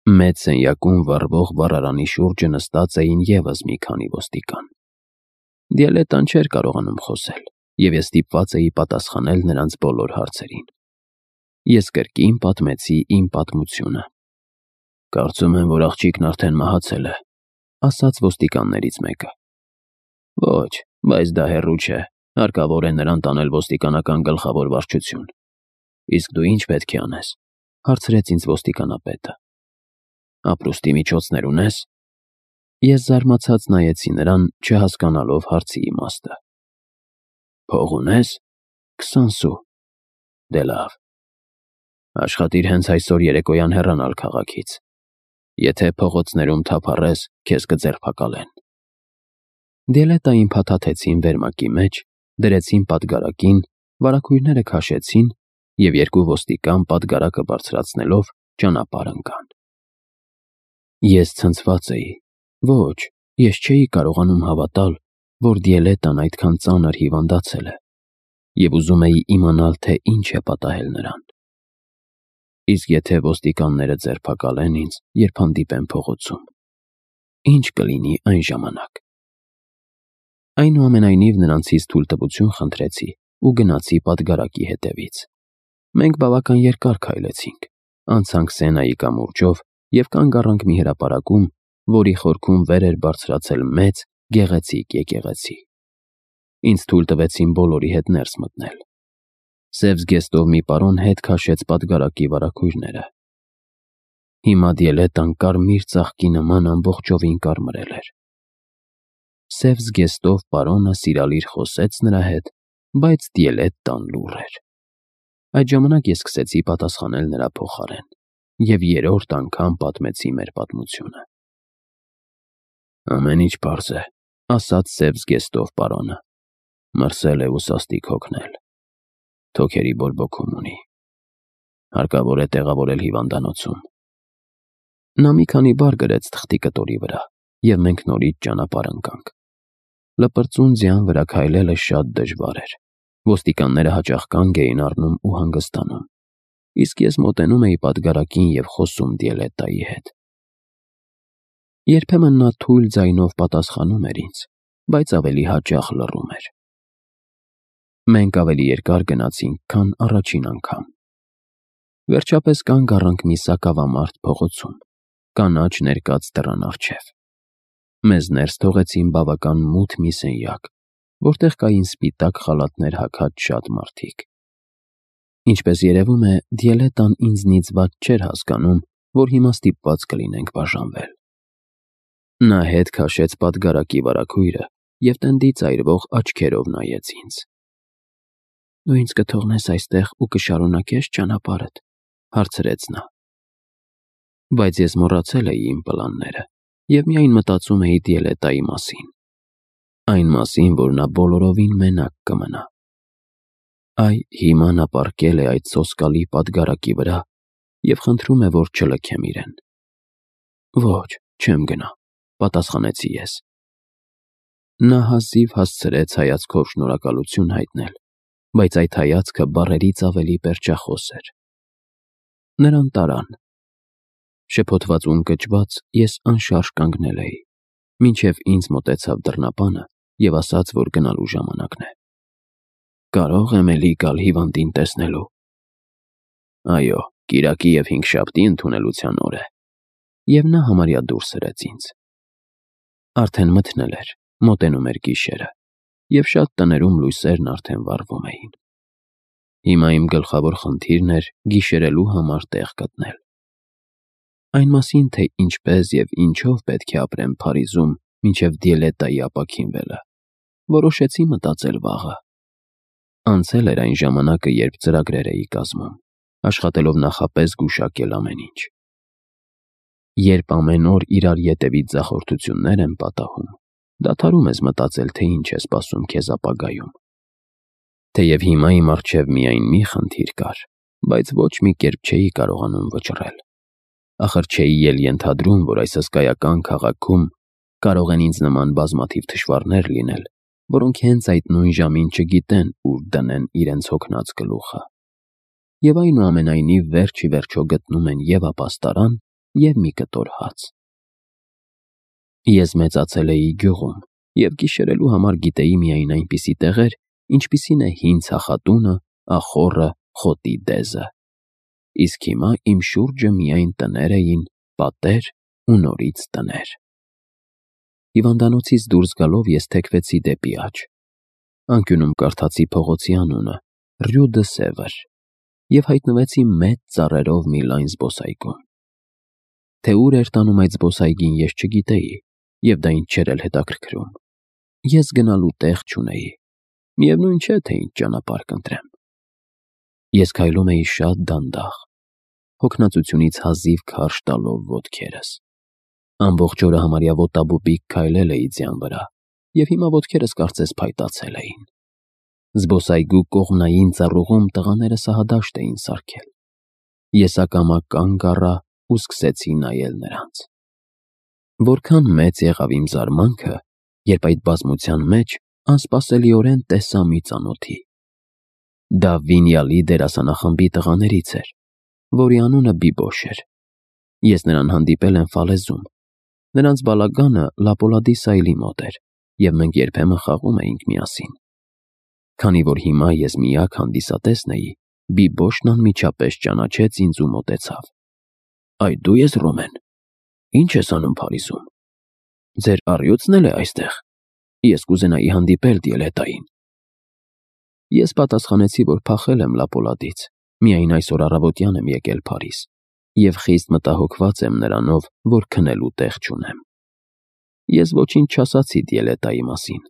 Մեծ սենյակում վառվող վառարանի շուրջը նստած էին ևս մի քանի ոստիկան։ Դիալետան չէր կարողանում խոսել, և ես ստիպված էի պատասխանել նրանց բոլոր հարցերին։ Ես կրկին պատմեցի իմ պատմությունը։ «Կարծում եմ, որ աղջիկն արդեն մահացել է», ասաց ոստիկաններից մեկը։ «Ոչ, բայց դա հեռու չէ, հարկավոր է նրան տանել ոստիկանական գլխավոր վարչություն»։ «Իսկ դու ինչ պետք է անես», հարցրեց ինձ ոստիկանապետը։ «Ապրուստի միջոցներ ունես»։ Ես զարմացած նայեցի նրան, չհասկանալով հարցի իմաստը։ «Փող ունես»։ 20 սու։ Դե լավ։ Աշխատիր հենց այսօր երեկոյան հեռանալ քաղաքից։ Եթե փողոցներում թափառես, քեզ կձերբակալեն։ Դիալետային փաթաթեցին վերմակի մեջ, դրեցին պատգարակին, վարագույրները քաշեցին և երկու ոստիկան պատգարակը բարձրացնելով ճանապարհ ընկան։ Ես ցնցված էի։ Ոչ, ես չէի կարողանում հավատալ, որ Դիալետան այդքան ծանր հիվանդացել է, և ուզում էի իմանալ, թե ինչ է պատահել նրան։ Իսկ եթե ոստիկանները ձերբակալեն ինձ, երբ հանդիպեն փողոցում, ինչ կլինի այն ժամանակ։ Այնուամենայնիվ նրանցից թույլտվություն խնդրեցի ու գնացի պատգարակի հետևից։ Մենք բավական երկար քայլեցինք, անցանք Սենայի կամուրջով և կանգ առանք մի հրապարակում, որի խորքում վեր էր բարձրացել մեծ, գեղեցիկ եկեղեցի։ Ինձ թույլ տվեցին բոլորի հետ ներս մտնել։ Սև զգեստով մի պարոն հետ քաշեց պատգարակի վարագույրները։ Հիմա Դիալետան կարմիր ծաղկի նման ամբողջովին կարմրել էր։ Սև զգեստով պարոնը սիրալիր խոսեց նրա հետ, բայց Դիալետան լուռ էր։ Այդ ժամանակ ես սկսեցի պատասխանել նրա փոխարեն և երրորդ անգամ պատմեցի մեր պատմությունը։ Ամեն ինչ պարզ է, ասաց սև զգեստով պարոնը։ Մրսել է ու սաստիկ հոգնել։ Թոքերի բորբոքում ունի։ Հարկավոր է տեղավորել հիվանդանոցում։ Նա մի քանի բառ գրեց թղթի կտորի վրա, և մենք նորից ճանապարհ ընկանք։ Լպրծուն ձյան վրա քայլելը շատ դժվար էր։ Ոստիկանները հաճախ կանգ էին առնում ու հանգստանում, իսկ ես մոտենում էի պատգարակին և խոսում Դիալետայի հետ։ Երբեմն նա թույլ ձայնով պատասխանում էր ինձ, բայց ավելի հաճախ լռում էր։ Մենք ավելի երկար գնացինք, քան առաջին անգամ։ Վերջապես կանգ առանք մի սակավամարդ փողոցում, կանաչ ներկած դռան առջև։ Մեզ ներս թողեցին բավական մութ մի սենյակ, որտեղ կային սպիտակ խալաթներ հագած շատ մարդիկ։ Ինչպես երևում է, Դիալետան ինձնից վատ չէր հասկանում, որ հիմա ստիպված կլինենք բաժանվել։ Նա հետ քաշեց պատգարակի վարագույրը և տնդից այրվող աչքերով նայեց ինձ։ «Դու ինձ կթողնես այստեղ ու կշարունակե՞ս ճանապարհդ», հարցրեց նա։ Բայց ես մոռացել էի իմ պլանները և միայն մտածում էի Դիալետայի մասին։ Այն մասին, որ նա բոլորովին մենակ կմնա։ Այ հիմա նա պառկել է այդ սոսկալի պատգարակի վրա և խնդրում է, որ չլքեմ իրեն։ Ոչ, չեմ գնա, պատասխանեցի ես։ Նա հազիվ հասցրեց հայացքով շնորհակալություն հայտնել, բայց այդ հայացքը բառերից ավելի պերճախոս էր։ Նրան տարան։ Շփոթված ու ընկճված ես անշարժ կանգնել էի, մինչև ինձ մոտեցավ դռնապանը և ասաց, որ գնալու ժամանակն է։ Կարո՞ղ եմ էլի գալ հիվանդին տեսնելու։ Այո, կիրակի և հինգշաբթի ընդունելության օր է։ Եվ նա համարյա դուրս սրեց ինձ։ Արդեն մթնել էր, մոտենում էր գիշերը, և շատ տներում լույսերն արդեն վառվում էին։ Հիմա իմ գլխավոր խնդիրն էր գիշերելու համար տեղ գտնել։ Այն մասին, թե ինչպես և ինչով պետք է ապրեմ Փարիզում մինչև Դիալետայի ապաքինվելը, որոշեցի մտածել վաղը։ Անցել էր այն ժամանակը, երբ ծրագրեր էի կազմում, աշխատելով նախապես գուշակել ամեն ինչ։ Երբ ամեն օր իրար ետևից ձախորդություններ են պատահում, դադարում ես մտածել, թե ինչ է սպասում քեզ ապագայում։ Թեև հիմա իմ առջև միայն մի խնդիր կար, բայց ոչ մի կերպ չէի կարողանում վճռել։ Ախր չէի էլ ենթադրում, որ այս հսկայական քաղաքում կարող են ինձ նման բազմաթիվ թշվառներ լինել, որոնք հենց այդ նույն ժամին չգիտեն ուր դնեն իրենց հոգնած գլուխը։ Եվ այնուամենայնիվ վերջ ի վերջո գտնում են և ապաստարան, և մի կտոր հաց։ Ես մեծացել էի գյուղում և գիշերելու համար գիտեի միայն այնպիսի տեղեր, ինչպիսին է հին ցախատունը, ախոռը, խոտի դեզը։ Իսկ հիմա իմ շուրջը միայն տներ էին, պատեր ու նորից տներ։ Հիվանդանոցից դուրս գալով ես թեքվեցի դեպի աջ։ Անկյունում կարդացի փողոցի անունը՝ Rue de Sèvres, և հայտնվեցի մեծ ծառերով մի լայն զբոսայգում։ Թե ուր էր տանում այդ զբոսայգին ես չգիտեի, և դա ինձ չէր էլ հետաքրքրում։ Ես գնալու տեղ չունեի, միևնույն չէ, թե ինչ ճանապարհ կընտրեմ։ Ես քայլում էի շատ դանդաղ, հոգնածությունից հազիվ քարշ տալով ոտքերս։ Ամբողջ օրը համարյա ոտաբոբիկ քայլել էի ձյան վրա, և հիմա ոտքերս կարծես փայտացել էին։ Զբոսայգու կողմնային ծառուղում տղաները սահադաշտ էին սարքել։ Ես ակամա կանգ առա ու սկսեցի նայել նրանց։ Որքան մեծ եղավ իմ զարմանքը, երբ այդ բազմության մեջ անսպասելիորեն տեսա մի ծանոթի։ Դա Վինյալի դերասանախմբի տղաներից էր, որի անունը Բիբոշ էր։ Ես նրան հանդիպել եմ Ֆալեզում։ Նրանց բալագանը Լապոլադի սայլի մոտ էր, և մենք երբեմն խաղում էինք միասին։ Քանի որ հիմա ես միակ հանդիսատեսն էի, Բիբոշն անմիջապես ճանաչեց ինձ ու մոտեցավ։ «Այ դու ես Ռոմեն։ Ի՞նչ ես անում Փարիզում։ Ձեր առյուծն էլ է այստեղ։ Ես կուզենայի հանդիպել Դիելետային»։ Ես պատասխանեցի, որ փախել եմ Լապոլադից, միայն այսօր առավոտյան եմ եկել Փարիզ, և խիստ մտահոգված եմ նրանով, որ քնելու տեղ չունեմ։ Ես ոչինչ չասացի Դիելետայի մասին,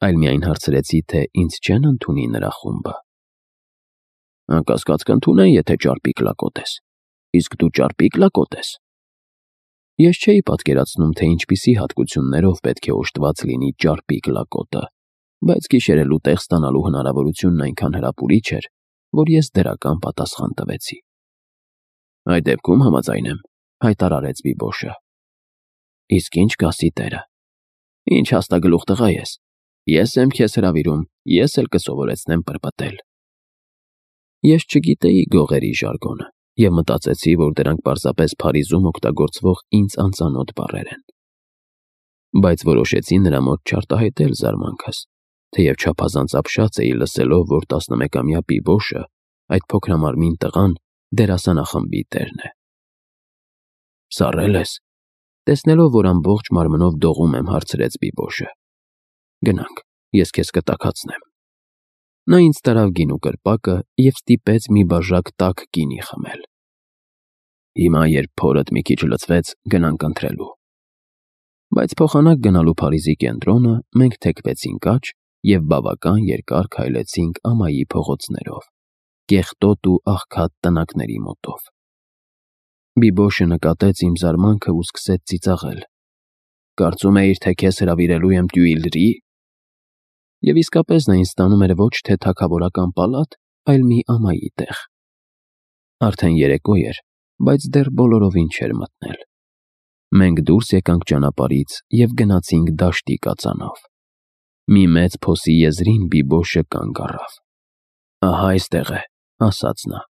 այլ միայն հարցրեցի, թե ինձ չեն ընդունի նրա խումբը։ «Անկասկած կընդունեն, եթե ճարպիկ լակոտ ես։ Իսկ դու ճարպիկ լակոտ ես»։ Ես չէի պատկերացնում, թե ինչպիսի հատկություններով պետք է օժտված լինի ճարպիկ լակոտը, բայց գիշերելու տեղ ստանալու հնարավորությունն այնքան հրապուրիչ էր, որ ես դրական պատասխան տվեցի։ «Այդ դեպքում համաձայն եմ», հայտարարեց Բիբոշը։ «Իսկ ինչ կասի տերը։ Ինչ հաստագլուխ տղա ես։ Ես եմ քեզ հրավիրում, ես էլ կսովորեցնեմ պրպտել»։ Ես չգիտեի գողերի ժարգոնը և մտածեցի, որ դրանք պարզապես Փարիզում օգտագործվող ինձ անծանոթ բառեր են։ Բայց որոշեցի նրա մոտ չարտահայտել զարմանքս, թեև չափազանց ապշած էի լսելով, որ 11-ամյա Բիբոշը, այդ փոքրամարմին տղան, դերասանախմբի տերն է։ «Սառել ես»։ Տեսնելով, որ ամբողջ մարմնով դողում եմ, հարցրեց Բիբոշը։ «Գնանք, ես քեզ կտաքացնեմ»։ Նա ինձ տարավ գինու կրպակը և ստիպեց մի բաժակ տաք գինի խմել։ «Հիմա, երբ փորդ մի քիչ լցվեց, գնանք ընթրելու»։ Բայց փոխանակ գնալու Փարիզի կենտրոնը մենք թեքվեցինք աջ և բավական երկար քայլեցինք ամայի փողոցներով, կեղտոտ ու աղքատ տնակների մոտով։ Բիբոշը նկատեց իմ զարմանքը ու սկսեց ծիծաղել։ «Կարծում էիր, թե քեզ հրավիրելու եմ Տյուիլրի»։ Եվ իսկապես նա ինձ տանում էր ոչ թե թագավորական պալատ, այլ մի ամայի տեղ։ Արդեն երեկո էր, բայց դեռ բոլորովին չէր մթնել։ Մենք դուրս եկանք ճանապարհից և գնացինք դաշտի կածանով։ Մի մեծ փոսի եզրին Բիբոշը կանգ առավ։ «Ահա այստեղ է», ասաց նա։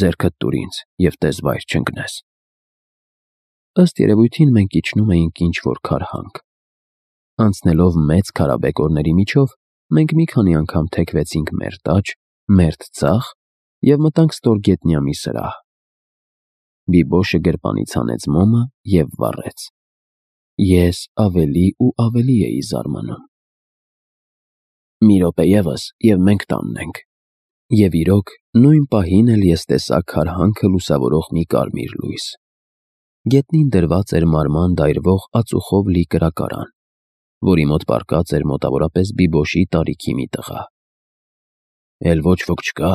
«Ձեռքդ տուր ինձ և տես վայր չընկնես»։ Ըստ երևույթին մենք իջնում էինք ինչ-որ քարհանք։ Անցնելով մեծ քարաբեկորների միջով, մենք մի քանի անգամ թեքվեցինք մերթ աջ, մերթ ձախ և մտանք ստորգետնյա մի սրահ։ Բիբոշը գրպանից հանեց մոմը և վառեց։ Ես ավելի ու ավելի էի զարմանում։ «Մի րոպե ևս, և մենք տանն ենք»։ Եվ իրոք, նույն պահին էլ ես տեսա քարհանքը լուսավորող մի կարմիր լույս։ Գետնին դրված էր մարման դայրվող ածուխով լի կրակարան, որի մոտ պառկած էր մոտավորապես Բիբոշի տարիքի մի տղա։ «Էլ ոչ ոք չկա՞,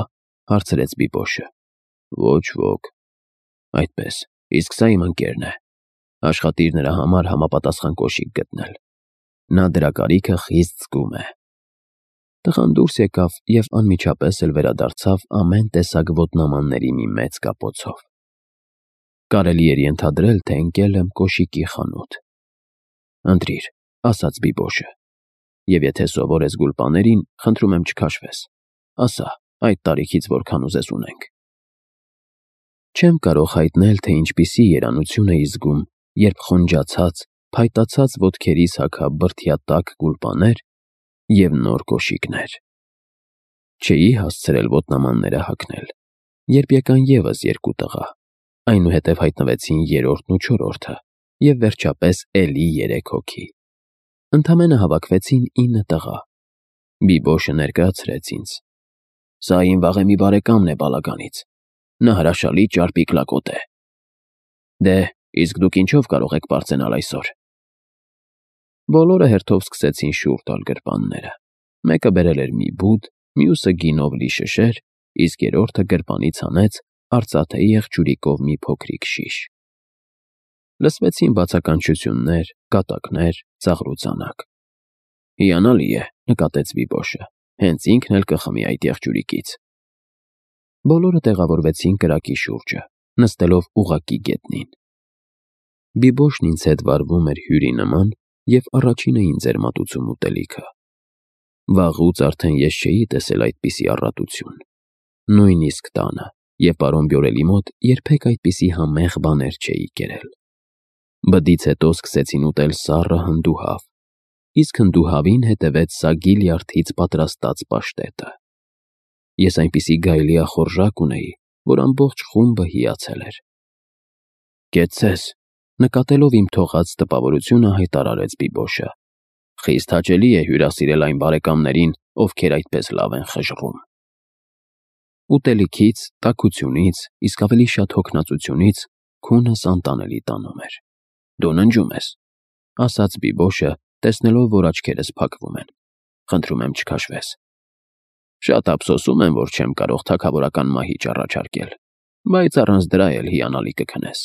հարցրեց Բիբոշը։ «Ոչ ոք»։ «Այդպես, իսկ սա իմ ընկերն է։ Աշխատիր նրա համար համապատասխան կոշիկ գտնել։ Նա դրա կարիքը խիստ զգում է»։ Տղան դուրս եկավ և անմիջապես էլ վերադարձավ ամեն տեսակ ոտնամանների մի մեծ կապոցով։ Կարելի էր ենթադրել, թե ընկել եմ կոշիկի խանութ։ «Ընտրիր», ասաց Բիբոշը, «և եթե սովոր ես գուլպաներին, խնդրում եմ չքաշվես։ Ասա, այդ տարիքից որքան ուզես ունենք»։ Չեմ կարող հայտնել, թե ինչպիսի երանություն էի զգում, երբ խոնջացած, փայտացած ոտքերիս հագա բրդյա տաք գուլպաներ և նոր կոշիկներ։ Չէի հասցրել ոտնամանները հագնել, երբ եկան ևս երկու տղա, այնուհետև հայտնվեցին երրորդն ու չորրորդը, և վերջապես էլի 3 հոգի։ Ընդամենը հավաքվեցին 9 տղա։ Բիբոշը ներկայացրեց ինձ. «Սա իմ վաղեմի բարեկամն է բալականից, նա հրաշալի ճարպիկ լակոտ է։ Դե, իսկ դուք ինչով կարող եք պարծենալ այսօր»։ Բոլորը հերթով սկսեցին շուռ տալ գրպանները։ Մեկը բերել էր մի բուդ, մյուսը գինով լի շշեր, իսկ երրորդը գրպանից հանեց արծաթե եղջյուրիկով մի փոքրիկ շիշ։ Լսվեցին բացականչություններ, կատակներ, ծաղրուծանակ։ «Հիանալի է», նկատեց Բիբոշը, «հենց ինքն էլ կխմի այդ եղջյուրիկից»։ Բոլորը տեղավորվեցին կրակի շուրջը, նստելով ուղղակի գետնին։ Բիբոշն ինձ հետ վարվում էր հյուրի նման և առաջինը ինձ էր մատուցում ուտելիքը։ Վաղուց արդեն ես չէի տեսել այդպիսի առատություն։ Նույնիսկ տանը և պարոն Բյորելի մոտ երբեք այդպիսի համեղ բաներ չէի կերել։ Բդից հետո սկսեցին ուտել սառը հնդուհավ, իսկ հնդուհավին հետևեց սագի լյարդից պատրաստած պաշտետը։ Ես այնպիսի գայլիախորժակ ունեի, որ ամբողջ խումբը հիացել էր։ «Կեցցես», նկատելով իմ թողած տպավորությունը հայտարարեց Բիբոշը, «խիստ հաճելի է հյուրասիրել այն բարեկամներին, ովքեր այդպես լավ են խժռում»։ Ուտելիքից, տաքությունից, իսկ ավելի շատ հոգնածությունից քունս անտանելի տանում էր։ «Դու ննջում ես», ասաց Բիբոշը, տեսնելով, որ աչքերս փակվում են, «խնդրում եմ չքաշվես»։ «Շատ ափսոսում եմ, որ չեմ կարող թագավորական մահիճ առաջարկել, բայց առանց դրա էլ հիանալի կքնես»։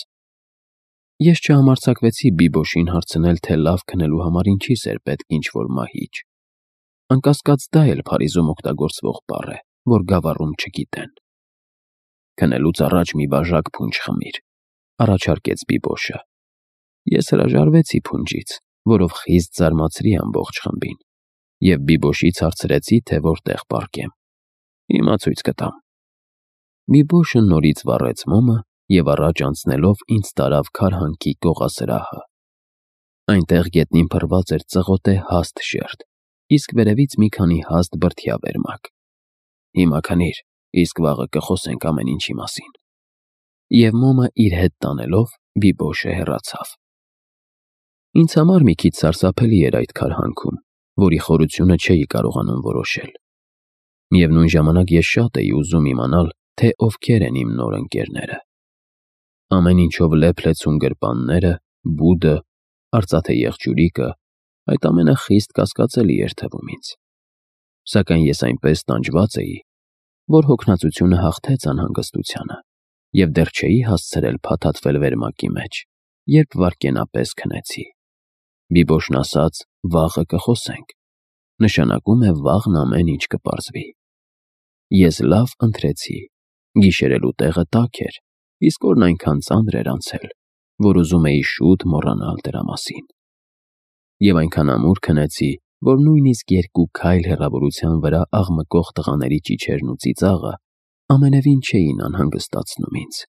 Ես չհամարձակվեցի Բիբոշին հարցնել, թե լավ քնելու համար ինչիս էր պետք ինչ-որ մահիճ։ Անկասկած դա էլ Փարիզում օգտագործվող բառ է, որ գավառում չգիտեն։ «Քնելուց առաջ մի բաժակ փունջ խմիր», առաջարկեց Բիբոշը։ Ես հրաժարվեցի փունջից, որով խիստ զարմացրի ամբողջ խմբին, և Բիբոշից հարցրեցի, թե որտեղ պառկեմ։ «Հիմա ցույց կտամ»։ Բիբոշը նորից վառեց մոմը և առաջ անցնելով ինձ տարավ քարհանքի կողասրահը։ Այնտեղ գետնին փռված էր ծղոտե հաստ շերտ, իսկ վերևից մի քանի հաստ բրդյա վերմակ։ «Հիմա քնիր, իսկ վաղը կխոսենք ամեն ինչի մասին»։ Եվ մոմը իր հետ տանելով Բիբոշը հեռացավ։ Ինձ համար մի քիչ սարսափելի էր այդ քարհանքում, որի խորությունը չէի կարողանում որոշել։ Միևնույն ժամանակ ես շատ էի ուզում իմանալ, թե ովքեր են իմ նոր ընկերները։ Ամեն ինչով լեփ-լեցուն գրպանները, բուդը, արծաթե եղջյուրիկը, այդ ամենը խիստ կասկածելի էր թվում ինձ։ Սակայն ես այնպես տանջված էի, որ հոգնածությունը հաղթեց անհանգստությանը, և դեռ չէի հասցրել փաթաթվել վերմակի մեջ, երբ վայրկենապես քնեցի։ Բիբոշն ասաց. «Վաղը կխոսենք», նշանակում է վաղն ամեն ինչ կպարզվի։ Ես լավ ընթրեցի։ Գիշերելու տեղը տաք էր, իսկ օրն այնքան ծանր էր անցել, որ ուզում էի շուտ մոռանալ դրա մասին։ Եվ այնքան ամուր քնեցի, որ նույնիսկ 2 քայլ հեռավորության վրա աղմկող տղաների ճիչերն ու ծիծաղը ամենևին չէին անհանգստացնում ինձ։